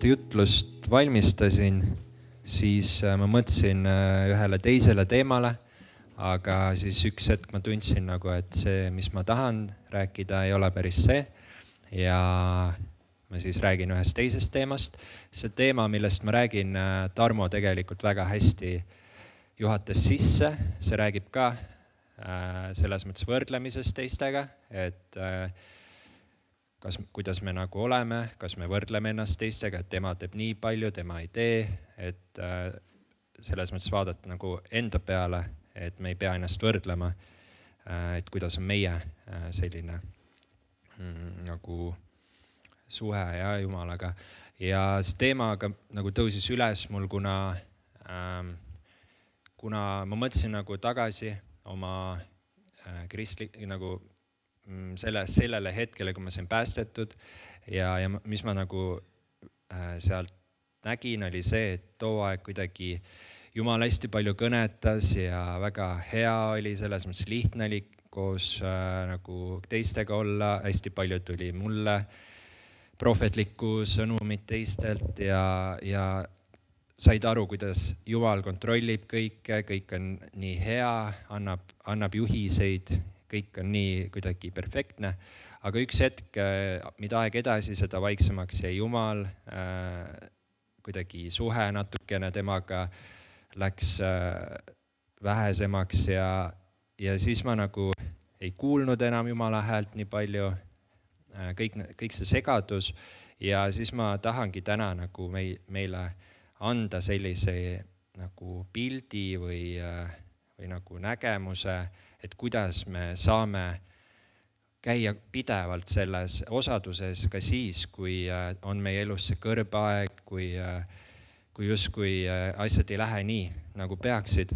jutlust valmistasin, siis ma mõtlesin ühele teisele teemale, aga siis üks hetk ma tundsin nagu, et see, mis ma tahan rääkida, ei ole päris see. Ja ma siis räägin ühest teisest teemast. See teema, millest ma räägin, Tarmo tegelikult väga hästi juhatas sisse. See räägib ka selles mõttes võrdlemisest teistega, et kuidas me nagu oleme, kas me võrdleme ennast teistega, et tema teeb nii palju, tema ei tee, et selles mõttes vaadata nagu enda peale, et me ei pea ennast võrdlema, et kuidas on meie selline nagu suhe ja Jumalaga. Ja see teema nagu tõusis üles mul, kuna ma mõtlesin nagu tagasi oma nagu sellele hetkele, kui ma sain päästetud ja mis ma nagu sealt nägin, oli see, et too aeg kuidagi Jumal hästi palju kõnetas ja väga hea oli, selles mõttes lihtne oli koos nagu teistega olla, hästi palju tuli mulle prohvetlikku sõnumit teistelt ja said aru, kuidas Jumal kontrollib kõike, kõik on nii hea, annab juhiseid, kõik on nii kuidagi perfektne, aga üks hetk, mida aeg edasi, seda vaiksemaks jäi Jumal, kuidagi suhe natukene temaga läks vähesemaks ja siis ma nagu ei kuulnud enam Jumala häält nii palju, kõik see segadus ja siis ma tahangi täna nagu meile anda sellise nagu pildi või nagu nägemuse, et kuidas me saame käia pidevalt selles osaduses ka siis, kui on meie elus see kõrbaeg, kui justkui asjad ei lähe nii, nagu peaksid.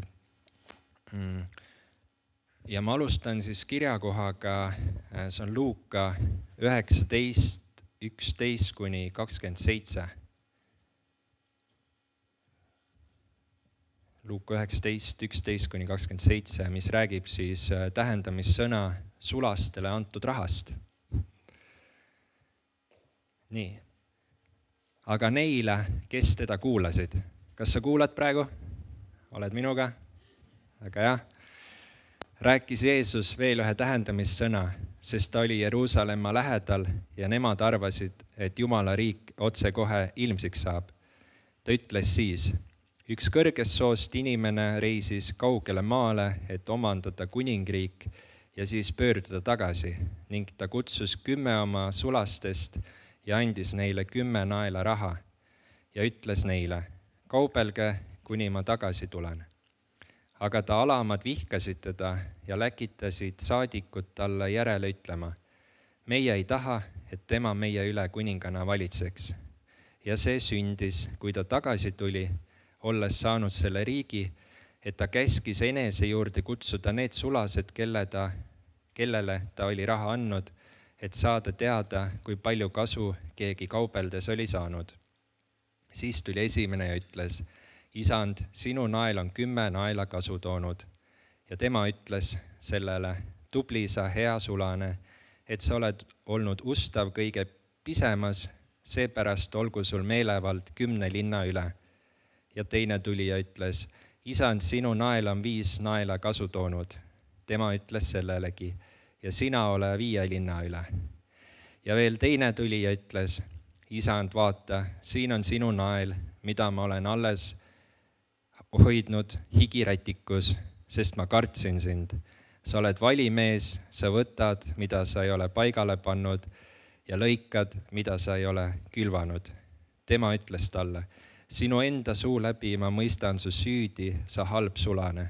Ja ma alustan siis kirjakohaga, see on Luuka 19, 11-27. Luuka 19, 11-27, mis räägib siis tähendamissõna sulastele antud rahast. Nii. Aga neile, kes teda kuulasid. Kas sa kuulad praegu? Oled minuga? Aga jah. Rääkis Jeesus veel ühe tähendamissõna, sest ta oli Jeruusalemma lähedal ja nemad arvasid, et Jumala riik otsekohe ilmsiks saab. Ta ütles siis: üks kõrgest soost inimene reisis kaugele maale, et omandada kuningriik ja siis pöörduda tagasi ning ta kutsus 10 oma sulastest ja andis neile 10 naela raha ja ütles neile: kaubelge, kuni ma tagasi tulen. Aga ta alamad vihkasid teda ja läkitasid saadikut talle järele ütlema: meie ei taha, et tema meie üle kuningana valitseks. Ja see sündis, kui ta tagasi tuli, olles saanud selle riigi, et ta käskis enese juurde kutsuda need sulased, kellele ta oli raha andnud, et saada teada, kui palju kasu keegi kaubeldes oli saanud. Siis tuli esimene ja ütles: isand, sinu nael on 10 naela kasu toonud. Ja tema ütles sellele: tubli sa, hea sulane, et sa oled olnud ustav kõige pisemas, seepärast olgu sul meelevald 10 linna üle. Ja teine tuli ja ütles: isand, sinu nael on 5 naela kasu toonud. Tema ütles sellelegi: ja sina ole 5 linna üle. Ja veel teine tuli ja ütles: isand, vaata, siin on sinu nael, mida ma olen alles hoidnud higirätikus, sest ma kartsin sind. Sa oled valimees, sa võtad, mida sa ei ole paigale pannud ja lõikad, mida sa ei ole külvanud. Tema ütles talle: sinu enda suu läbi ma mõistan su süüdi, sa halb sulane.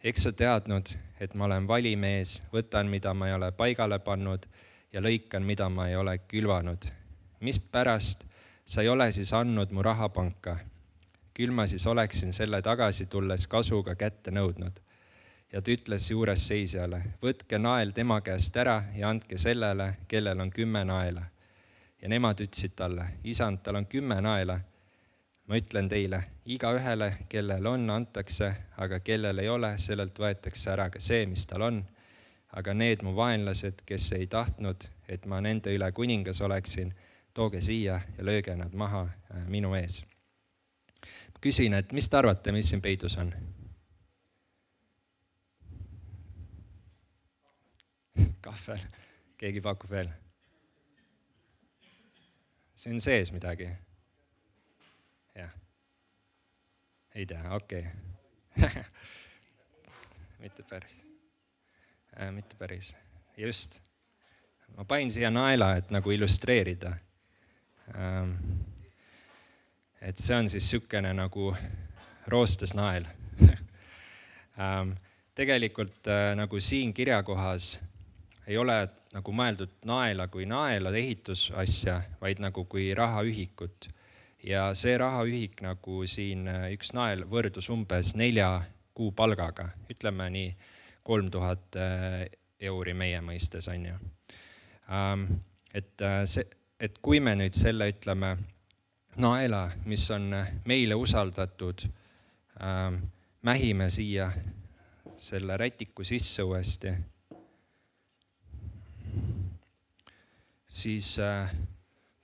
Eks sa teadnud, et ma olen valimees, võtan, mida ma ei ole paigale pannud ja lõikan, mida ma ei ole külvanud. Mis pärast sa ei ole siis andnud mu rahapanka? Küll ma siis oleksin selle tagasi tulles kasuga kätte nõudnud. Ja ta ütles juures seisjale: võtke nael tema käest ära ja andke sellele, kellel on 10 naela. Ja nemad ütlesid talle: isand, tal on 10 naela. Ma ütlen teile, igaühele, kellel on, antakse, aga kellel ei ole, sellelt võetakse ära ka see, mis tal on. Aga need mu vaenlased, kes ei tahtnud, et ma nende üle kuningas oleksin, tooge siia ja lööge nad maha minu ees. Ma küsin, et mis te arvate, mis siin peidus on? Kahvel, keegi pakub veel? See on sees midagi? Jah. Ei tea, okei. Mitte päris. Just. Ma panin siia naela, et nagu illustreerida. Et see on siis sükene nagu roostes nael. Tegelikult nagu siin kirjakohas ei ole nagu mõeldud naela kui naela ehitusasja, vaid nagu kui rahaühikut. Ja see rahaühik nagu siin üks nael võrdus umbes 4 kuu palgaga, ütleme nii 3000 euri meie mõistes on ju. Et kui me nüüd selle ütleme naela, mis on meile usaldatud, mähime siia selle rätiku sisse uuesti, siis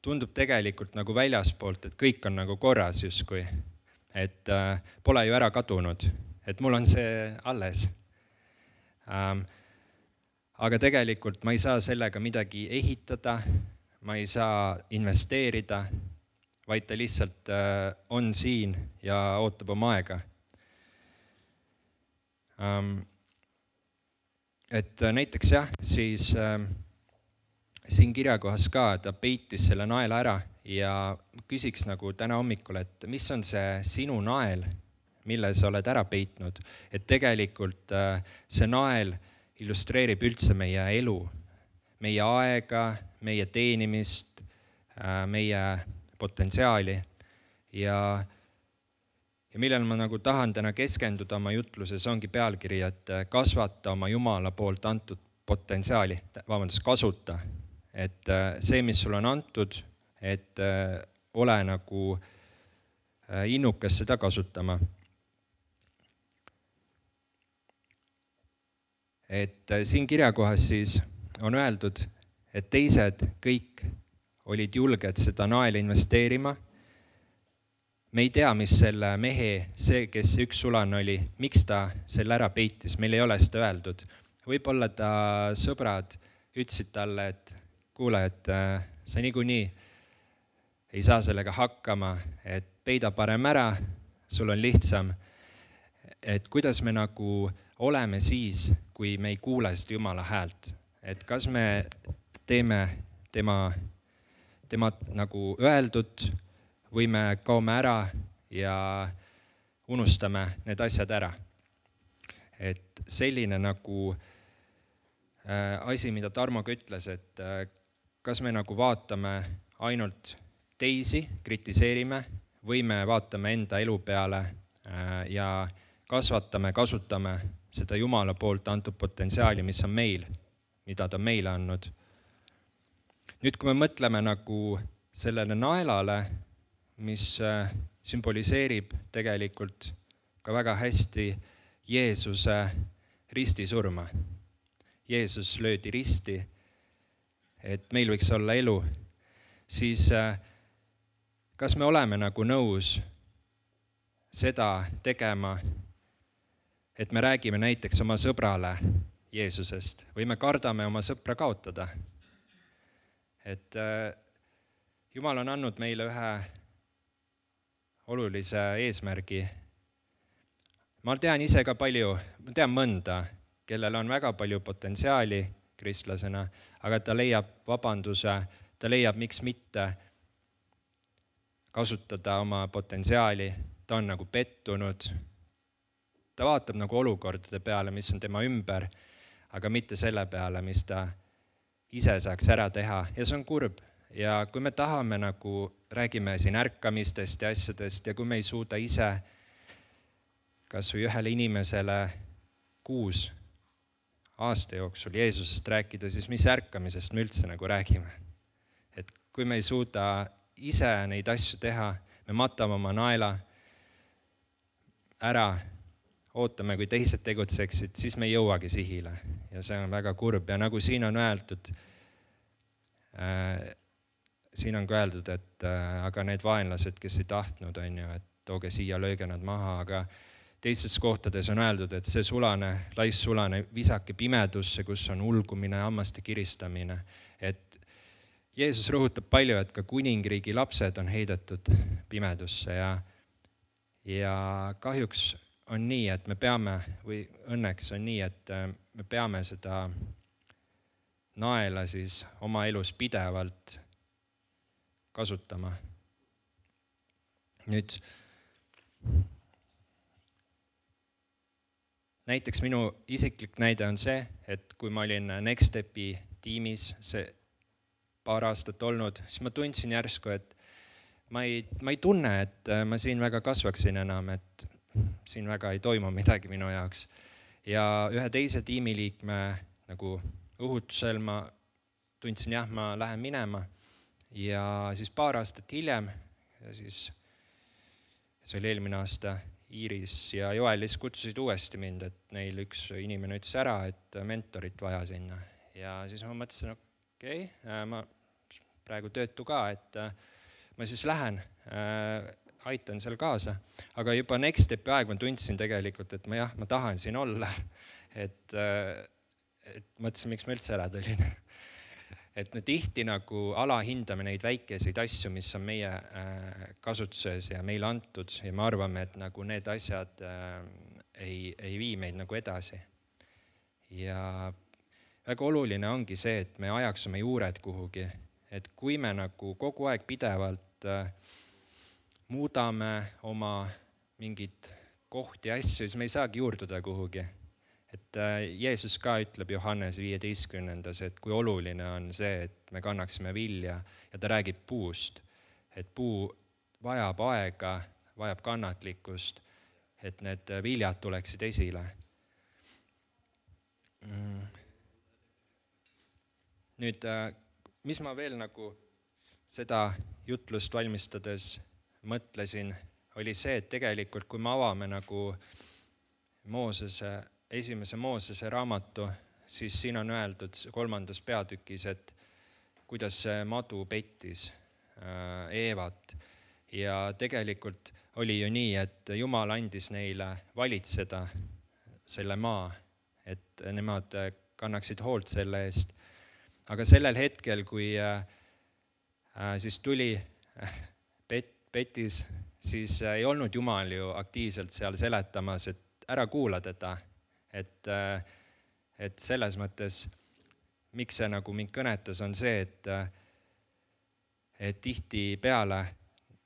tundub tegelikult nagu väljaspoolt, et kõik on nagu korras justkui, et pole ju ära kadunud, et mul on see alles. Aga tegelikult ma ei saa sellega midagi ehitada, ma ei saa investeerida, vaid ta lihtsalt on siin ja ootab oma aega. Et näiteks jah, siis siin kirjakohas ka ta peitis selle naela ära ja küsiks nagu täna hommikul, et mis on see sinu nael, mille sa oled ära peitnud. Et tegelikult see nael illustreerib üldse meie elu, meie aega, meie teenimist, meie potentsiaali ja millel ma nagu tahan täna keskenduda oma jutluses ongi pealkiri, et kasvata oma Jumala poolt antud potentsiaali, kasuta. Et see, mis sul on antud, et ole nagu innukas seda kasutama. Et siin kirjakohas siis on öeldud, et teised kõik olid julged seda naela investeerima. Me ei tea, mis selle mehe, see, kes üks sulane oli, miks ta selle ära peitis, meil ei ole seda öeldud. Võib-olla ta sõbrad ütlesid talle, et kuule, et sa niikuinii ei saa sellega hakkama, et peida parem ära, sul on lihtsam. Et kuidas me nagu oleme siis, kui me ei kuule seda Jumala häält. Et kas me teeme tema nagu öeldud või me kaome ära ja unustame need asjad ära. Et selline nagu asi, mida Tarmo ütles, et kas me nagu vaatame ainult teisi, kritiseerime või me vaatame enda elu peale ja kasutame seda Jumala poolt antud potentsiaali, mis on meil, mida ta meile andnud. Nüüd, kui me mõtleme nagu sellele naelale, mis sümboliseerib tegelikult ka väga hästi Jeesuse ristisurma. Jeesus löödi risti, et meil võiks olla elu, siis kas me oleme nagu nõus seda tegema, et me räägime näiteks oma sõbrale Jeesusest või me kardame oma sõpra kaotada? Et Jumal on andnud meile ühe olulise eesmärgi. Ma tean ise ka palju, ma tean mõnda, kellel on väga palju potentsiaali kristlasena, aga ta leiab vabanduse, ta leiab, miks mitte kasutada oma potentsiaali, ta on nagu pettunud, ta vaatab nagu olukordade peale, mis on tema ümber, aga mitte selle peale, mis ta ise saaks ära teha ja see on kurb. Ja kui me tahame nagu, räägime siin ärkamistest ja asjadest ja kui me ei suuda ise kas või ühele inimesele 6 aasta jooksul Jeesusest rääkida, siis mis ärkamisest me üldse nagu räägime. Et kui me ei suuda ise neid asju teha, me matame oma naela ära, ootame, kui teised tegutseksid, siis me ei jõuagi sihile ja see on väga kurb ja nagu siin on öeldud, siin on ka öeldud, et aga need vaenlased, kes ei tahtnud, on ju, et tooge siia, lööge nad maha, aga teistes kohtades on öeldud, et see sulane, laissulane, visake pimedusse, kus on ulgumine, hammaste kiristamine. Et Jeesus rõhutab palju, et ka kuningriigi lapsed on heidetud pimedusse ja kahjuks on nii, et me peame, või õnneks on nii, et me peame seda naela siis oma elus pidevalt kasutama. Nüüd, näiteks minu isiklik näide on see, et kui ma olin Next Stepi tiimis see paar aastat olnud, siis ma tundsin järsku, et ma ei tunne, et ma siin väga kasvaksin enam, et siin väga ei toimu midagi minu jaoks. Ja ühe teise tiimiliikme nagu õhutusel ma tundsin, jah, ma lähen minema. Ja siis paar aastat hiljem, ja siis see oli eelmine aasta, Iiris ja Joelis kutsusid uuesti mind, et neil üks inimene ütles ära, et mentorit vaja sinna. Ja siis ma mõtlesin, okei, ma praegu töötu ka, et ma siis lähen, aitan seal kaasa. Aga juba Next Stepi aeg ma tundsin tegelikult, et ma tahan siin olla. Et mõtlesin, miks ma üldse ära tulin. Et me tihti nagu alahindame neid väikeseid asju, mis on meie kasutuses ja meile antud ja me arvame, et nagu need asjad ei vii meid nagu edasi. Ja väga oluline ongi see, et me ajaks oma juured kuhugi, et kui me nagu kogu aeg pidevalt muudame oma mingid kohti ja asju, siis me ei saagi juurduda kuhugi. Et Jeesus ka ütleb Johannes 15, et kui oluline on see, et me kannaksime vilja ja ta räägib puust, et puu vajab aega, vajab kannatlikkust, et need viljad tuleksid esile. Nüüd, mis ma veel nagu seda jutlust valmistades mõtlesin, oli see, et tegelikult kui me avame nagu esimese Moosese raamatu, siis siin on öeldud 3. peatükis, et kuidas see madu pettis Eevat. Ja tegelikult oli ju nii, et Jumal andis neile valitseda selle maa, et nemad kannaksid hoolt selle eest. Aga sellel hetkel, kui siis tuli petis, siis ei olnud Jumal ju aktiivselt seal seletamas, et ära kuula teda. Et selles mõttes, miks see nagu mind kõnetas, on see, et tihti peale,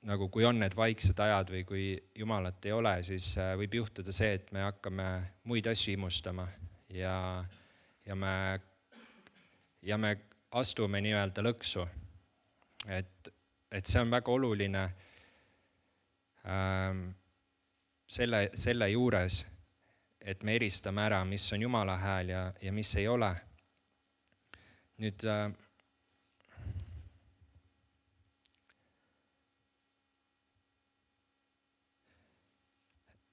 nagu kui on need vaiksed ajad või kui Jumalat ei ole, siis võib juhtuda see, et me hakkame muid asju imustama ja me astume nii-öelda lõksu. Et see on väga oluline selle juures, et me eristame ära, mis on Jumala hääl ja mis ei ole. Nüüd,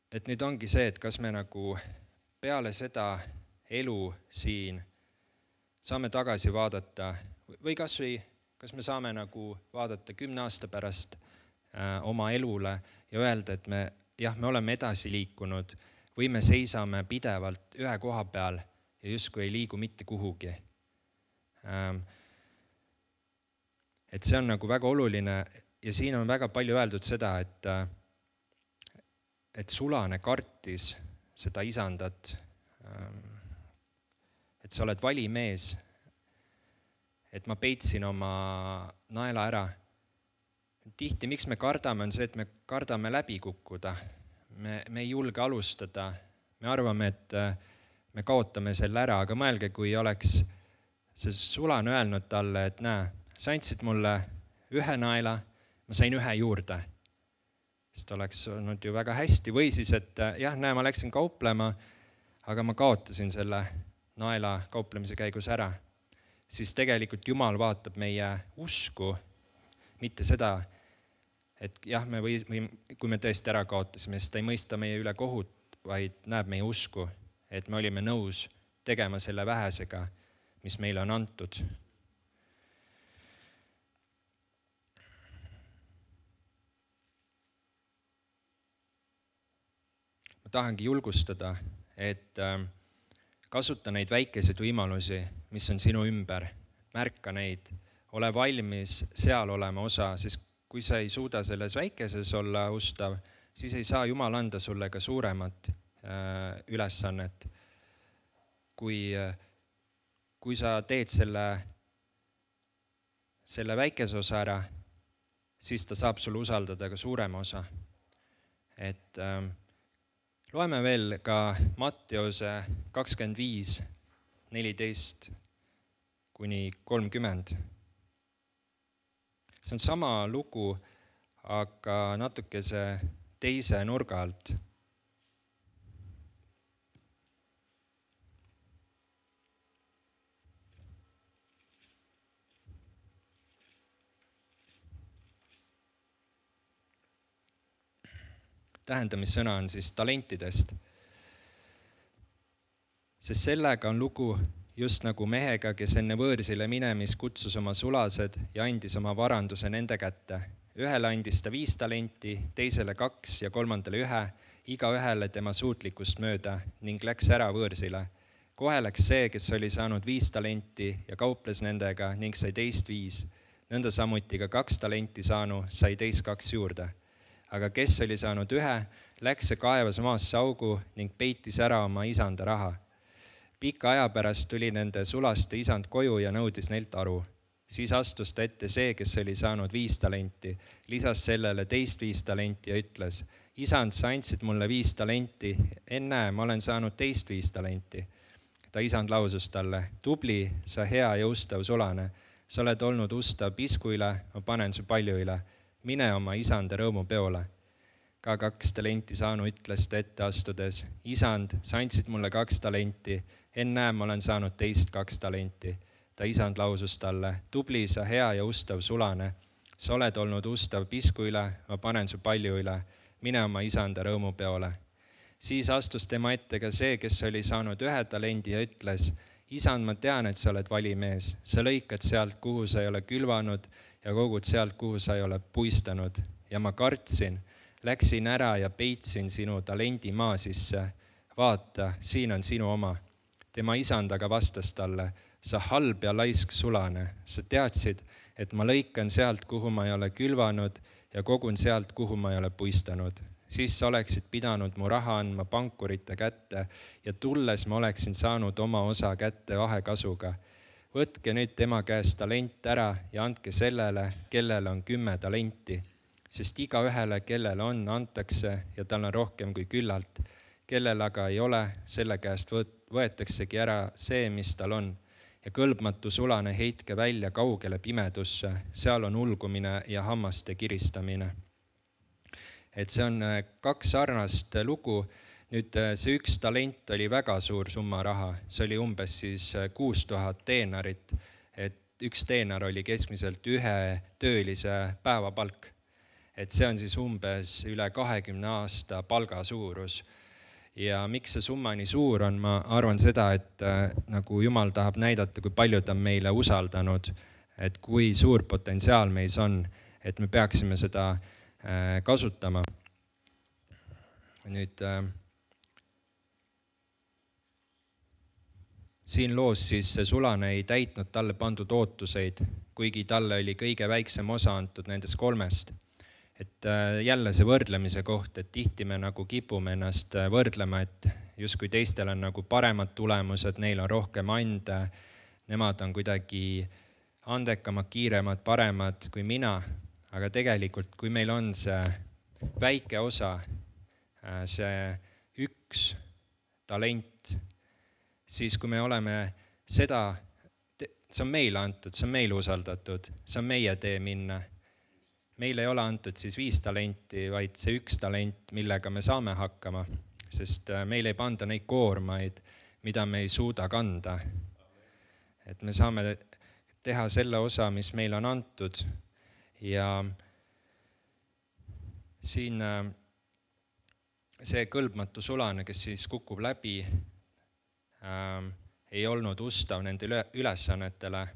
et nüüd ongi see, et kas me nagu peale seda elu siin saame tagasi vaadata või kas me saame nagu vaadata 10 aasta pärast oma elule ja öelda, et me oleme edasi liikunud, või me seisame pidevalt ühe koha peal ja justkui ei liigu mitte kuhugi. Et see on nagu väga oluline ja siin on väga palju öeldud seda, et sulane kartis seda isandat, et sa oled valimees, et ma peitsin oma naela ära. Tihti, miks me kardame, on see, et me kardame läbi kukkuda. Me ei julge alustada, me arvame, et me kaotame selle ära, aga mõelge, kui oleks see sulane öelnud talle, et näe, sa andsid mulle ühe naela, ma sain ühe juurde. Sest oleks olnud ju väga hästi või siis, et jah, näe, ma läksin kauplema, aga ma kaotasin selle naela kauplemise käigus ära. Siis tegelikult Jumal vaatab meie usku, mitte seda, et jah, kui me tõesti ära kaotasime, siis ta ei mõista meie üle kohut, vaid näeb meie usku, et me olime nõus tegema selle vähesega, mis meile on antud. ma tahangi julgustada, et kasuta neid väikeseid võimalusi, mis on sinu ümber, märka neid, ole valmis seal olema osa, sest kui sa ei suuda selles väikeses olla ustav, siis ei saa Jumal anda sulle ka suuremat ülesannet. Kui sa teed selle väikese osa ära, siis ta saab sulle usaldada ka suurema osa. Et loeme veel ka Matteuse 25, 14 kuni 30. See on sama lugu, aga natukese teise nurga alt. Tähendamissõna on siis talentidest. Sest sellega on lugu just nagu mehega, kes enne võõrsile minemis kutsus oma sulased ja andis oma varanduse nende kätte. Ühele andis ta 5 talenti, teisele 2 ja kolmandale 1, igaühele tema suutlikkust mööda ning läks ära võõrsile. Kohe läks see, kes oli saanud 5 talenti ja kauples nendega ning sai teist 5. Nõnda samuti ka 2 talenti saanu sai teist 2 juurde. Aga kes oli saanud 1, läks ja kaevas maasse augu ning peitis ära oma isanda raha. Pika aja pärast tuli nende sulaste isand koju ja nõudis neilt aru. Siis astus ta ette see, kes oli saanud 5 talenti, lisas sellele teist 5 talenti ja ütles, isand, sa andsid mulle 5 talenti, ennäe, ma olen saanud teist 5 talenti. Ta isand lausus talle, tubli, sa hea ja ustav sulane, sa oled olnud ustav pisku üle, ma panen su palju üle. Mine oma isanda rõõmupeole. Ka 2 talenti saanu ütles ta ette astudes, isand, sa andsid mulle 2 talenti, ennäe, ma olen saanud teist 2 talenti. Ta isand lausus talle, tubli, sa hea ja ustav sulane, sa oled olnud ustav pisku üle, ma panen su palju üle, mine oma isanda rõõmupeole. Siis astus tema ette ka see, kes oli saanud 1 talendi ja ütles, isand, ma tean, et sa oled valimees, sa lõikad sealt, kuhu sa ei ole külvanud ja kogud sealt, kuhu sa ei ole puistanud. Ja ma kartsin, läksin ära ja peitsin sinu talendi maa sisse. Vaata, siin on sinu oma. Tema isand aga vastas talle, sa halb ja laisk sulane, sa teadsid, et ma lõikan sealt, kuhu ma ei ole külvanud ja kogun sealt, kuhu ma ei ole puistanud. Siis sa oleksid pidanud mu raha andma pankurite kätte ja tulles ma oleksin saanud oma osa kätte vahekasuga. Võtke nüüd tema käest talent ära ja andke sellele, kellele on 10 talenti, sest igaühele, kellele on, antakse ja tal on rohkem kui küllalt. Kellel aga ei ole, selle käest võetaksegi ära see, mis tal on. Ja kõlbmatu sulane heitke välja kaugele pimedusse, seal on ulgumine ja hammaste kiristamine. Et see on 2 sarnast lugu. Nüüd see 1 talent oli väga suur summa raha, see oli umbes siis 6000 teenarit, et 1 teenar oli keskmiselt 1 töölise päevapalk. Et see on siis umbes üle 20 aasta palga suurus. Ja miks see summa nii suur on, ma arvan seda, et nagu Jumal tahab näidata, kui palju ta on meile usaldanud, et kui suur potentsiaal meis on, et me peaksime seda kasutama. Nüüd siin loos siis see sulane ei täitnud talle pandud ootuseid, kuigi talle oli kõige väiksem osa antud nendest 3. Et jälle see võrdlemise koht, et tihti me nagu kipume ennast võrdlema, et justkui teistel on nagu paremad tulemused, neil on rohkem ande, nemad on kuidagi andekamad, kiiremad, paremad kui mina, aga tegelikult kui meil on see väike osa, see 1 talent, siis kui me oleme seda, see on meile antud, see on meile usaldatud, see on meie tee minna. Meile ei ole antud siis 5 talenti, vaid see 1 talent, millega me saame hakkama, sest meil ei panda neid koormaid, mida me ei suuda kanda. Et me saame teha selle osa, mis meil on antud ja siin see kõlbmatu sulane, kes siis kukub läbi, ei olnud ustav nende ülesannetele.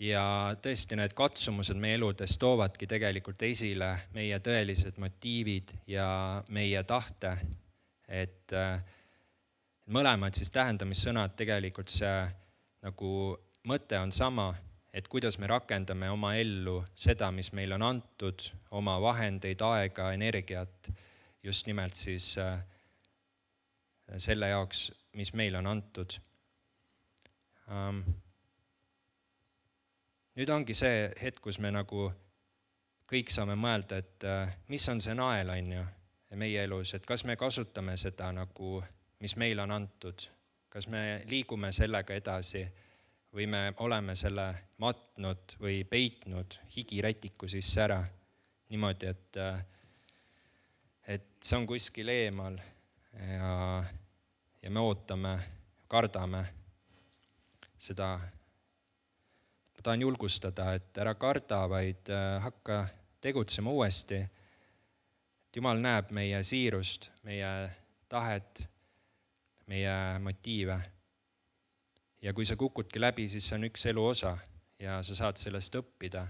Ja tõesti need katsumused meie eludes toovadki tegelikult esile meie tõelised motiivid ja meie tahte, et mõlemad siis tähendamissõnad tegelikult see nagu mõte on sama, et kuidas me rakendame oma ellu seda, mis meil on antud, oma vahendeid, aega, energiat, just nimelt siis selle jaoks, mis meile on antud. Nüüd ongi see hetk, kus me nagu kõik saame mõelda, et mis on see nael, on ju, meie elus, et kas me kasutame seda nagu, mis meile on antud, kas me liigume sellega edasi või me oleme selle matnud või peitnud higirätiku sisse ära niimoodi, et see on kuskil eemal ja me ootame, kardame seda. Ma tahan julgustada, et ära karda, vaid hakka tegutsema uuesti. Et Jumal näeb meie siirust, meie tahet, meie motiive. Ja kui sa kukudki läbi, siis see on üks elu osa ja sa saad sellest õppida.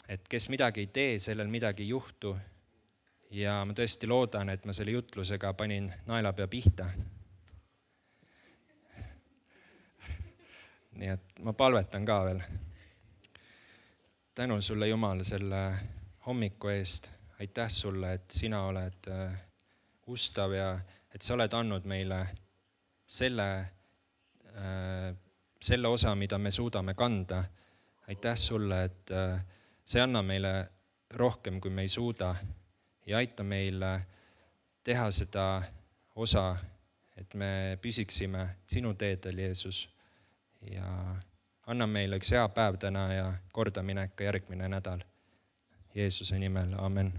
Et kes midagi ei tee, sellel midagi ei juhtu. Ja ma tõesti loodan, et ma selle jutlusega panin naelapea pihta. Nii et ma palvetan ka veel. Tänu sulle, Jumal, selle hommiku eest. Aitäh sulle, et sina oled ustav ja et sa oled andnud meile selle osa, mida me suudame kanda. Aitäh sulle, et sa ei anna meile rohkem, kui me ei suuda ja aita meil teha seda osa, et me püsiksime sinu teedel, Jeesus. Ja anna meile üks hea päev täna ja kordaminek ka järgmine nädal. Jeesuse nimel, amen.